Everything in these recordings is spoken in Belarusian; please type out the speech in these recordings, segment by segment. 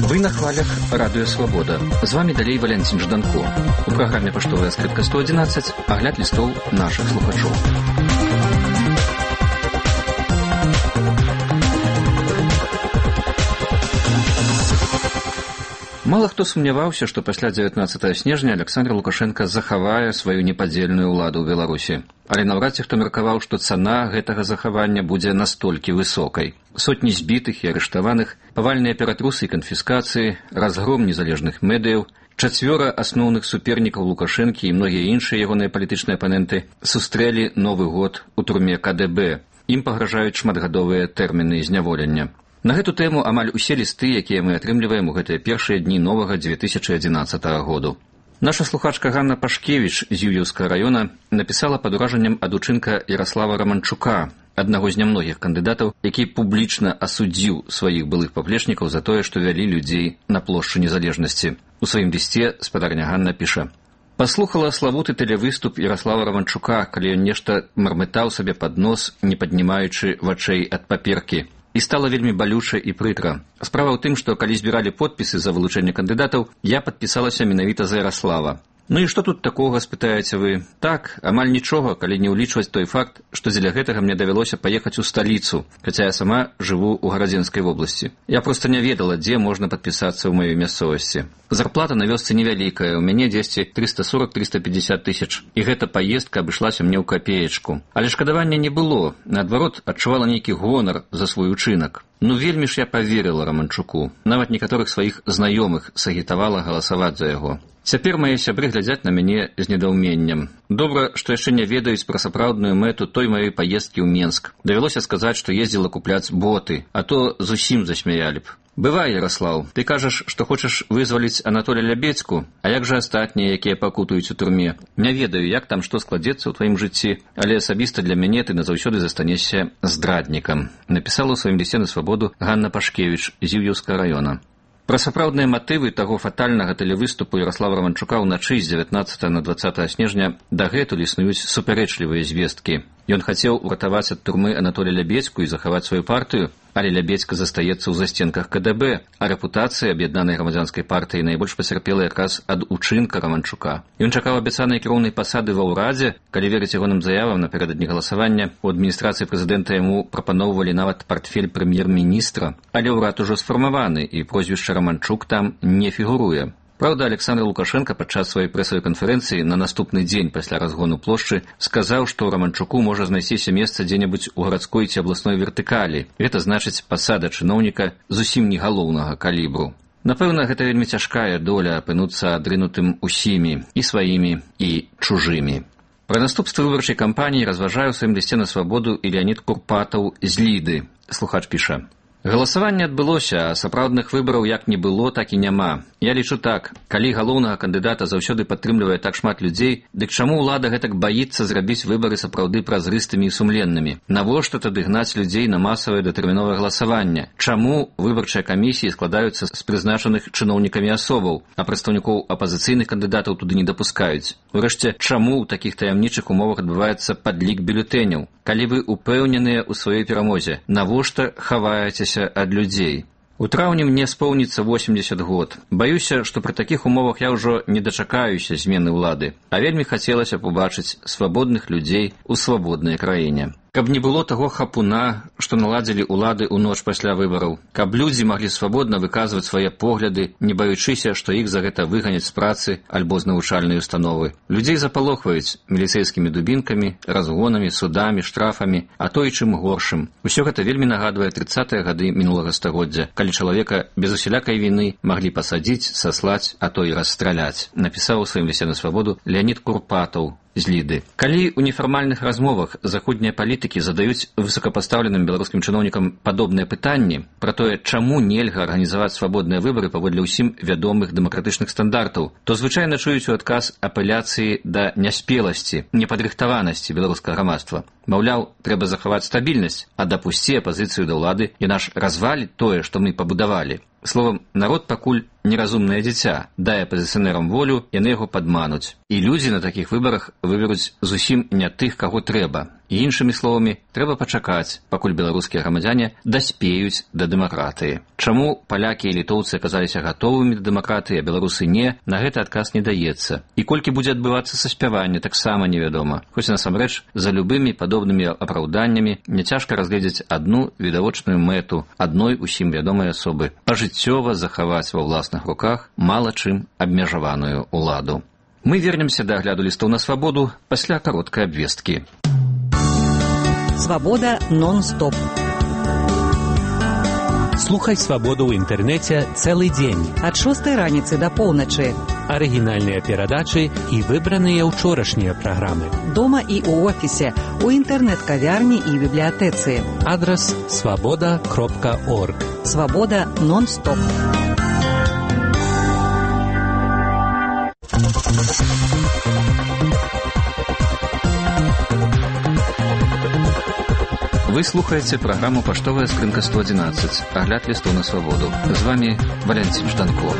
Вы на хвалях Радио Свобода. З вами далей Валентин Жданко. У праграме «Паштовая скрытка 111» агляд лістоў нашых слухачоў. Мало хто сумняваўся, што пасля 19 снежня Александр Лукашенко захавае сваю непадзельную ўладу ў Беларусі. Але наўрад ці хто меркаваў, што цана гэтага захавання будзе настолькі высокай. Сотні збітых і арыштаваных, павальныя ператрусы і канфіскацыі, разгром незалежных медыяў, 4 асноўных супернікаў Лукашэнкі і многія іншыя ягоныя палітычныя апаненты сустрэлі Новы год у турме КДБ. Ім пагражаюць шматгадовыя тэрміны зняволення. На гэту тэму амаль усе лісты, якія мы атрымліваем у гэтыя першыя дні новага 2011 году. Наша слухачка Ганна Пашкевіч з Юр'еўскага раёна напісала пад уражаннем ад учынка Ярослава Романчука, аднаго з нямногіх кандыдатаў, які публічна асудзіў сваіх былых паплечнікаў за тое, што вялі людзей на плошчу незалежнасці. У сваім лісце спадарня Ганна піша: «Паслухала славуты тэлевыступ Ярослава Романчука, калі ён нешта мармытаў сабе пад нос, не паднімаючы вачэй ад паперкі. І стала вельмі балюча і прыкра. Справа ў тым, што калі збіралі подпісы за вылучэнне кандыдатаў, я падпісалася менавіта за Ярослава. Ну і што тут такога, спытаеце вы? Так, амаль нічога, калі не ўлічваць той факт, што дзеля гэтага мне давялося паехаць у сталіцу, хаця я сама жыву ў Гарадзенскай вобласці. Я проста не ведала, дзе можна падпісацца ў маёй мясцовасці. Зарплата на вёсцы невялікая, у мяне дзесьці 340-350 тысяч, і гэта паездка абышлася мне ў капеечку. Але шкадавання не было, наадварот, адчувала нейкі гонар за свой учынак. Ну вельмі ж я паверыла Романчуку, нават некаторых сваіх знаёмых сагітавала галасаваць за яго. Цяпер мае сябры глядзяць на мяне з недаўменнем. Добра, што яшчэ не ведаюць пра сапраўдную мэту той маёй паездкі ў Менск. Давялося сказаць, што ездзіла купляць боты, а то зусім засмяялі б. Бывай, Ярослаў, ты кажаш, што хочаш вызваліць Анатолія Лябедзьку, а як жа астатнія, якія пакутуюць у турме? Не ведаю, як там што складзецца ў тваім жыцці, але асабіста для мяне ты назаўсёды застанешся здраднікам. Напісала ў сваім лісце на Свабоду Ганна Пашкевіч з Юр'еўскага раёна. Пра сапраўдныя матывы таго фатальнага тэлевыступу Ярослава Романчука ўначы з 19 на 20 снежня дагэтуль існуюць супярэчлівыя звесткі. Ён хацеў уратаваць ад турмы Анатолія Лябедзьку і захаваць сваю партыю, але Лябедзька застаецца ў застенках КДБ, а рэпутацыя аб'яднанай грамадзянскай партыі найбольш пацярпела якраз ад учынка Романчука. Ён чакаў абяцанай кіроўнай пасады ва ўрадзе, калі верыць ягоным заявам напярэдадні галасавання, у адміністрацыі прэзідэнта яму прапаноўвалі нават партфель прэм'ер-міністра, але ўрад ужо сфармаваны, і прозвішча Романчук там не фігуруе. Праўда, Александр Лукашенко падчас сваёй прэсавай канферэнцыі на наступны дзень пасля разгону плошчы сказаў, што Романчуку можа знайсціся месца дзе-небудзь у гарадской ці абласной вертыкалі. Гэта значыць пасада чыноўніка зусім не галоўнага калібру. Напэўна, гэта вельмі цяжкая доля апынуцца адрынутым усімі, і сваімі, і чужымі. Пра наступствы выбарчай кампаніі разважае ў сваім лісце на Свабоду і Леанід Курпатаў з Ліды. Слухач піша: «Галасаванне адбылося, а сапраўдных выбараў як не было, так і няма. Я лічу так, калі галоўнага кандыдата заўсёды падтрымлівае так шмат людзей, дык чаму ўлада гэтак баіцца зрабіць выбары сапраўды празрыстымі і сумленнымі? Навошта тады гнаць людзей на масавае датэрміновае галасаванне? Чаму выбарчыя камісіі складаюцца з прызначаных чыноўнікамі асобаў, а прадстаўнікоў апазіцыйных кандыдатаў туды не дапускаюць? Урэшце, чаму ў такіх таямнічых умовах адбываецца падлік бюлетэняў? Калі вы упэўненыя ў сваёй перамозе, навошта хаваецеся ад людзей? У траўні мне споўніцца 80 год. Баюся, што пры такіх умовах я ўжо не дачакаюся змены ўлады, а вельмі хацелася побачыць свабодных людзей у свабоднай краіне. Каб не было таго хапуна, што наладзілі ўлады ў ноч пасля выбараў, каб людзі маглі свабодна выказваць свае погляды, не баючыся, што іх за гэта выганяць з працы альбо з навучальнай установы. Людзей запалохваюць міліцэйскімі дубінкамі, разгонамі, судамі, штрафамі, а то і чым горшым. Усё гэта вельмі нагадвае 30-е гады мінулага стагоддзя, калі чалавека без усялякай віны маглі пасадзіць, саслаць, а то і расстраляць. Напісаў у сваім лісце на Свабоду Леанід Курпатаў з Ліды. Калі ў нефармальных размовах заходнія палітыкі задаюць высокапастаўленым беларускім чыноўнікам падобныя пытанні пра тое, чаму нельга арганізаваць свабодныя выбары паводле ўсім вядомых дэмакратычных стандартаў, то звычайна чуюць у адказ апеляцыі да няспеласці, непадрыхтаванасці беларускага грамадства. Маўляў, трэба захаваць стабільнасць, а дапусці апазіцыю да ўлады, яна ж разваліць тое, што мы пабудавалі. Словам, народ пакуль неразумнае дзіця, дай апазіцыянерам волю, яны яго падмануць. І людзі на такіх выбарах выберуць зусім не тых, каго трэба. І іншымі словамі, трэба пачакаць, пакуль беларускія грамадзяне даспеюць да дэмакратыі. Чаму палякі і літоўцы аказаліся гатовымі да дэмакратыі, а беларусы не, на гэты адказ не даецца. І колькі будзе адбывацца саспяванне, таксама невядома. Хоць насамрэч, за любымі падобнымі апраўданнямі няцяжка разгледзець адну відавочную мэту адной усім вядомай асобы – пажыццёва захаваць ва ўласных руках мала чым абмежаваную ўладу. Мы вернемся да агляду лістоў на свабоду пасля кароткай абвесткі. Свабода нон-стоп. Слухай свабоду ў інтэрнэце цэлы дзень. Ад 6 раніцы да поўначы. Арыгінальныя перадачы і выбраныя ўчорашнія праграмы. Дома і ў офісе, у інтэрнэт-кавярні і бібліятэцы. Адрас свабода.орг. Свабода нон-стоп. Вы слухаеце праграму «Паштовая скрынка 111», агляд лістоў на свабоду. З вами Валянцін Жданко.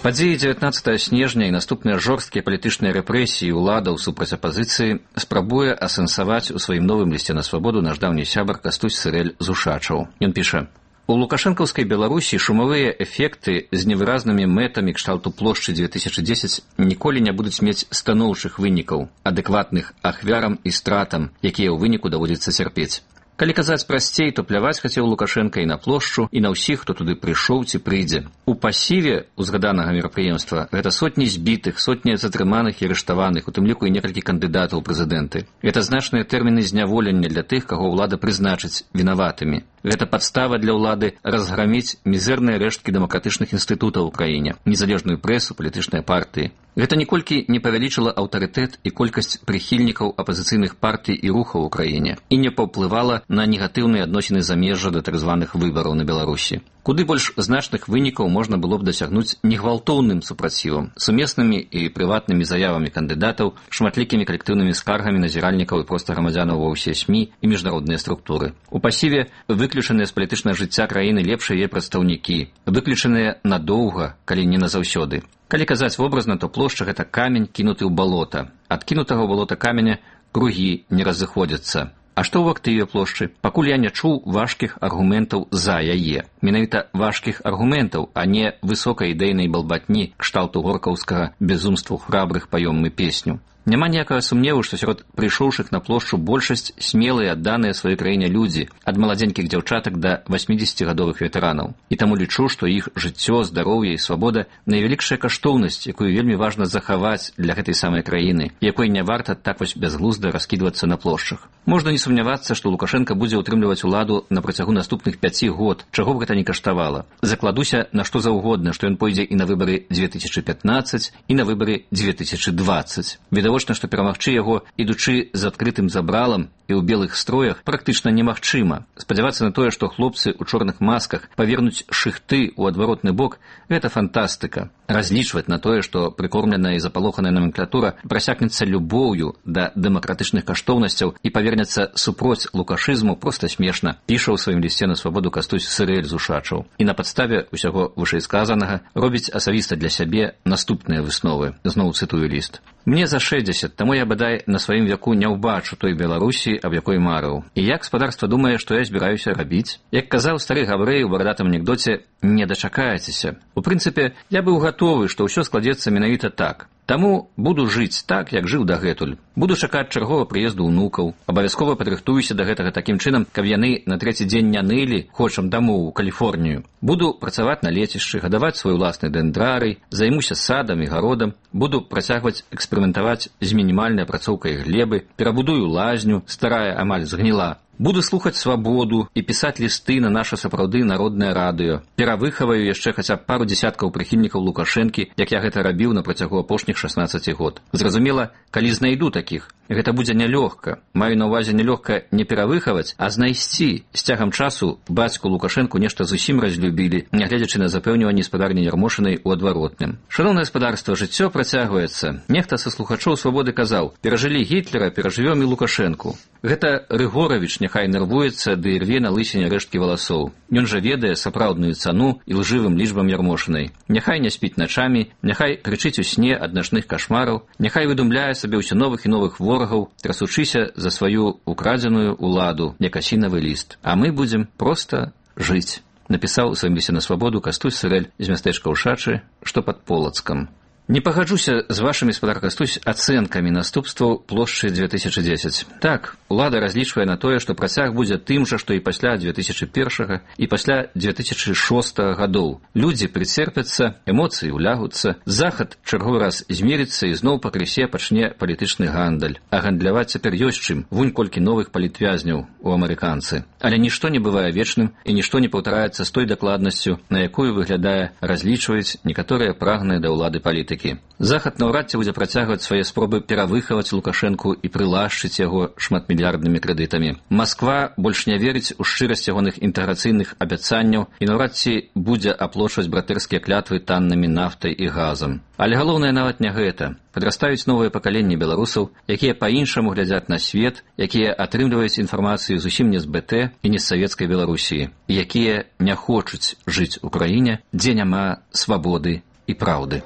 Падзеі 19 снежня і наступныя жорсткія палітычныя рэпрэсіі ўладаў супраць апазіцыі спрабуе асэнсаваць у сваім новым лісце на свабоду наш даўні сябар Кастусь Сырэль з Ушачаў. Ён піша: у лукашэнкаўскай Беларусі шумавыя эфекты з невыразнымі мэтамі кшталту плошчы 2010 ніколі не будуць мець станоўчых вынікаў, адэкватных ахвярам і стратам, якія ў выніку даводзіцца цярпець. Калі казаць прасцей, то пляваць хацеў Лукашенка і на плошчу, і на ўсіх, хто туды прыйшоў ці прыйдзе. У пасіве узгаданага мерапрыемства гэта сотні збітых, сотні затрыманых і арыштаваных, у тым ліку і некалькі кандыдатаў у прэзідэнты. Гэта значныя тэрміны зняволення для тых, каго ўлада прызначыць вінаватымі. Гэта падстава для ўлады разграміць мізэрныя рэшткі дэмакратычных інстытутаў у краіне, незалежную прэсу, палітычныя партыі. Гэта ніколькі не павялічыла аўтарытэт і колькасць прыхільнікаў апазіцыйных партый і рухаў у краіне і не паўплывала на негатыўныя адносіны замежжа да так званых выбараў на Беларусі. Куды больш значных вынікаў можна было б дасягнуць негвалтоўным супрацівам, сумеснымі і прыватнымі заявамі кандыдатаў, шматлікімі калектыўнымі скаргамі назіральнікаў і проста грамадзянаў ва ўсе СМІ і міжнародныя структуры. У пасіве выключаныя з палітычнага жыцця краіны лепшыя яе прадстаўнікі, выключаныя надоўга, калі не назаўсёды. Калі казаць вобразна, то плошча – гэта камень, кінуты ў балота. Ад кінутага ў балота каменя кругі не разыходзяцца. А што ў актыве плошчы? Пакуль я не чуў важкіх аргументаў за яе. Менавіта важкіх аргументаў, а не высокай ідэйнай балбатні кшталту горкаўскага «Безумству храбрых паём мы песню». Няма ніякага сумневу, што сярод прыйшоўшых на плошчу большасць смелыя, адданыя сваёй краіне людзі, ад маладзенькіх дзяўчатак да 80гадовых ветэранаў. І таму лічу, што іх жыццё, здароўе і свабода – найвялікшая каштоўнасць, якую вельмі важна захаваць для гэтай самай краіны, якой не варта так вось бязглузда раскідвацца на плошчах. Можна не сумнявацца, што Лукашенка будзе ўтрымліваць уладу на працягу наступных 5 год, чаго б гэта не каштавала. Закладуся на што заўгодна, што ён пойдзе і на выбары 2015, і на выбары 2020. Відавочна, што перамагчы яго, ідучы з адкрытым забралам і ў белых строях, практычна немагчыма. Спадзявацца на тое, што хлопцы ў чорных масках павернуць шыхты ў адваротны бок – гэта фантастыка. Разлічваць на тое, што прыкормленая і запалоханая номенклатура прасякнецца любоўю да дэмакратычных каштоўнасцяў і павернецца супроць лукашызму проста смешна, піша ў сваім лісце на свабоду Кастусь Сырэль з Ушачаў. І на падставе ўсяго вышэйсказанага робіць асабіста для сябе наступныя высновы. Зноў цытую ліст. Мне за 60, таму я бадай на сваім вяку не ўбачу той Беларусі, аб якой марыў. І як гаспадарства думае, што я збіраюся рабіць? Як казаў стары габрэй у барадатым анекдоце, не дачакаецеся. У прынцыпе, я быў гатовы, што ўсё складзецца менавіта так. Таму буду жыць так, як жыў дагэтуль. Буду чакаць чарговага прыезду ўнукаў. Абавязкова падрыхтуюся да гэтага такім чынам, каб яны на 3-й дзень не нылі, хочам дамоў у Каліфорнію. Буду працаваць на лецішчы, гадаваць свой уласны дэндрарый, займуся садам і гародам, буду працягваць эксперыментаваць з мінімальнай апрацоўкай глебы, перабудую лазню, старая амаль згніла. Буду слухаць свабоду і пісаць лісты на наша сапраўды народнае радыё. Перавыхаваю яшчэ хаця б пару дзесяткаў прыхільнікаў Лукашэнкі, як я гэта рабіў на працягу апошніх 16 год. Зразумела, калі знайду такіх, гэта будзе нялёгка. Маю на ўвазе нялёгка не перавыхаваць, а знайсці. З цягам часу бацьку Лукашэнку нешта зусім разлюбілі, нягледзячы на запэўніванне спадарні Ярмошынай у адваротным. Шаноўнае гаспадарства, жыццё працягваецца. Нехта са слухачоў свабоды казаў: перажылі Гітлера, перажывём і Лукашэнку. Гэта Рыгоравіч няхай нервуецца ды рве на лысіне рэшткі валасоў. Ён жа ведае сапраўдную цану і лжывым лічбам ярмошынай. Няхай не спіць начамі, няхай крычыць у сне ад начных кашмараў, няхай выдумляе сабе ўсё новых і новых ворагаў, трасучыся за сваю украдзеную уладу, як асінавы ліст. А мы будзем проста жыць. Напісаў у сваім лісце на свабоду Кастусь Сырэль з мястэчка Ушачы, што пад Полацкам. Не пагаджуся з вашымі, спадар Кастусь, ацэнкамі наступстваў плошчы 2010. Так, улада разлічвае на тое, што працяг будзе тым жа, што і пасля 2001 і пасля 2006 гадоў. Людзі прыцерпяцца, эмоцыі ўлягуцца, захад чарговы раз змерыцца і зноў пакрысе пачне палітычны гандаль. А гандляваць цяпер ёсць чым, вунь колькі новых палітвязняў у амерыканцы. Але нішто не бывае вечным і нішто не паўтараецца з той дакладнасцю, на якую, выглядае, разлічваюць некаторыя прагныя да ўлады палітыкі. Захад наўрад ці будзе працягваць свае спробы перавыхаваць Лукашэнку і прылашчыць яго шматмільярднымі крэдытамі. Масква больш не верыць у шчырасць ягоных інтэграцыйных абяцанняў і наўрад ці будзе аплочваць братэрскія клятвы таннымі нафтай і газам. Але галоўнае нават не гэта. Падрастаюць новыя пакаленні беларусаў, якія па-іншаму глядзяць на свет, якія атрымліваюць інфармацыю зусім не з БТ і не з савецкай Беларусіі, якія не хочуць жыць у краіне, дзе няма свабоды і праўды.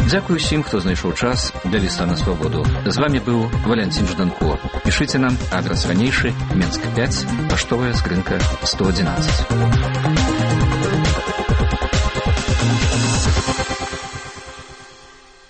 Дзякую усім, хто знайшоў час для ліста на свабоду. З вами быў Валянцін Жданко. Пішыце нам, адрас ранейшы, Менск 5, паштовая скрынка 111.